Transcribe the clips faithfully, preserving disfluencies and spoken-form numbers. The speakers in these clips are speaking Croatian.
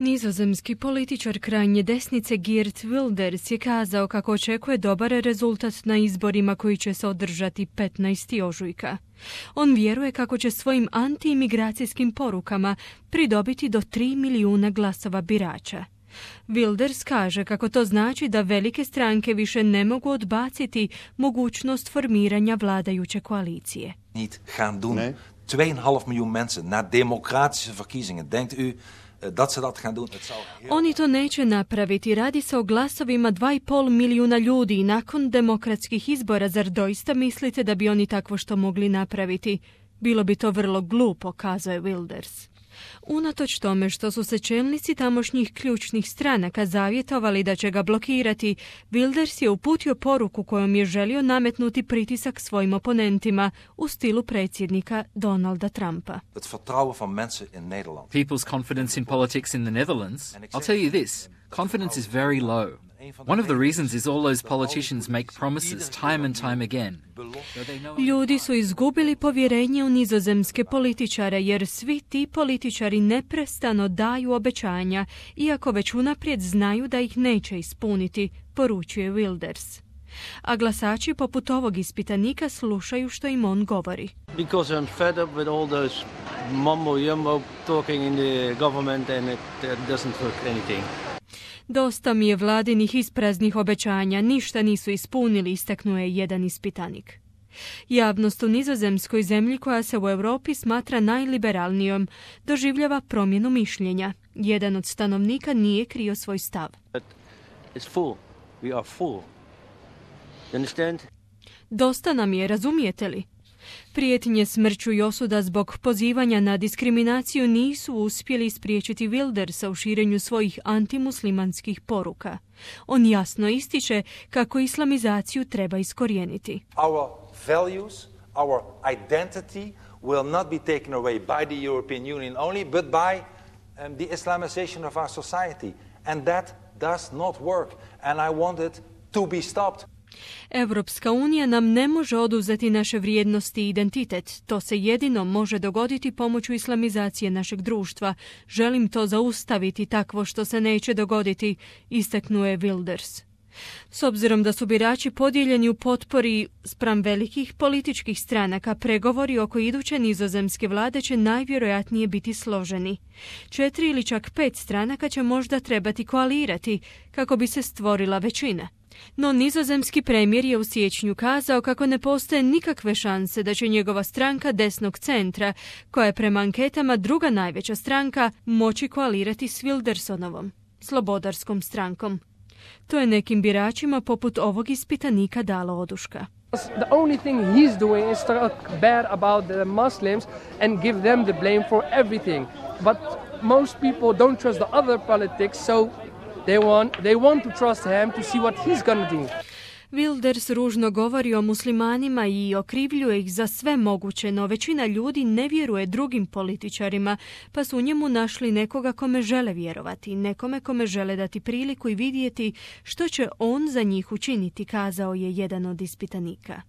Nizozemski političar krajnje desnice Geert Wilders je kazao kako očekuje dobar rezultat na izborima koji će se održati petnaestog ožujka. On vjeruje kako će svojim antiimigracijskim porukama pridobiti do tri milijuna glasova birača. Wilders kaže kako to znači da velike stranke više ne mogu odbaciti mogućnost formiranja vladajuće koalicije. Niet gaan doen. twee komma vijf miljoen mensen na democratische verkiezingen. Denkt u dat ze dat gaan doen? Het zal heel... Oni to neće napraviti. Radi se o glasovima dva i pol milijuna ljudi nakon demokratskih izbora. Zar doista mislite da bi oni takvo što mogli napraviti? Bilo bi to vrlo glupo, kazao je Wilders. Unatoč tome što su se čelnici tamošnjih ključnih stranaka zavjetovali da će ga blokirati, Wilders je uputio poruku kojom je želio nametnuti pritisak svojim oponentima u stilu predsjednika Donalda Trumpa. Het vertrouwen van mensen in Nederland. People's confidence in politics in the Netherlands, I'll tell you this, confidence is very low. One of the reasons is all those politicians make promises time and time again. Ljudi su izgubili povjerenje u nizozemske političare jer svi ti političari neprestano daju obećanja, iako već unaprijed znaju da ih neće ispuniti, poručuje Wilders. A glasači poput ovog ispitanika slušaju što im on govori. Because I'm fed up with all those mumbo jumbo talking in the government and it doesn't work anything. Dosta mi je vladinih ispraznih obećanja, ništa nisu ispunili, istaknuo je jedan ispitanik. Javnost u nizozemskoj zemlji koja se u Europi smatra najliberalnijom doživljava promjenu mišljenja. Jedan od stanovnika nije krio svoj stav. It's full. We are full. You understand? Dosta nam je, razumijete li? Prijetnje smrću i osuda zbog pozivanja na diskriminaciju nisu uspjeli spriječiti Wildersa u širenju svojih antimuslimanskih poruka. On jasno ističe kako islamizaciju treba iskorijeniti. Our values, our identity will not be taken away by the European Union only, but by um, the Islamization of our society. And that does not work. And I want it to be stopped. Europska unija nam ne može oduzeti naše vrijednosti i identitet. To se jedino može dogoditi pomoću islamizacije našeg društva. Želim to zaustaviti takvo što se neće dogoditi, istaknuo je Wilders. S obzirom da su birači podijeljeni u potpori spram velikih političkih stranaka, pregovori oko iduće nizozemske vlade će najvjerojatnije biti složeni. Četiri ili čak pet stranaka će možda trebati koalirati kako bi se stvorila većina. No nizozemski premijer je u siječnju kazao kako ne postoje nikakve šanse da će njegova stranka desnog centra, koja je prema anketama druga najveća stranka, moći koalirati s Wildersonovom, slobodarskom strankom. To je nekim biračima poput ovog ispitanika dalo oduška. The only thing he's doing is talk bad about the Muslims and give them the blame for everything. But most people don't trust the other politics, so They want, they want to trust him to see what he's gonna do. Wilders ružno govori o muslimanima i okrivljuje ih za sve moguće, no većina ljudi ne vjeruje drugim političarima, pa su u njemu našli nekoga kome žele vjerovati, nekome kome žele dati priliku i vidjeti što će on za njih učiniti, kazao je jedan od ispitanika.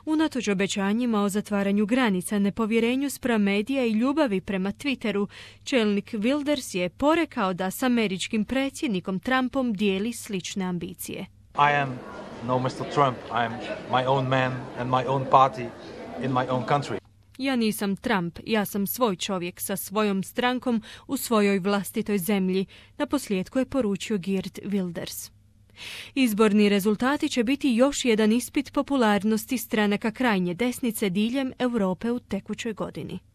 Unatoč obećanjima o zatvaranju granica, nepovjerenju spram medija i ljubavi prema Twitteru, čelnik Wilders je porekao da s američkim predsjednikom Trumpom dijeli slične ambicije. I am no mister Trump. I am my own man and my own party in my own country. Ja nisam Trump, ja sam svoj čovjek sa svojom strankom u svojoj vlastitoj zemlji, naposljetku je poručio Geert Wilders. Izborni rezultati će biti još jedan ispit popularnosti stranaka krajnje desnice diljem Europe u tekućoj godini.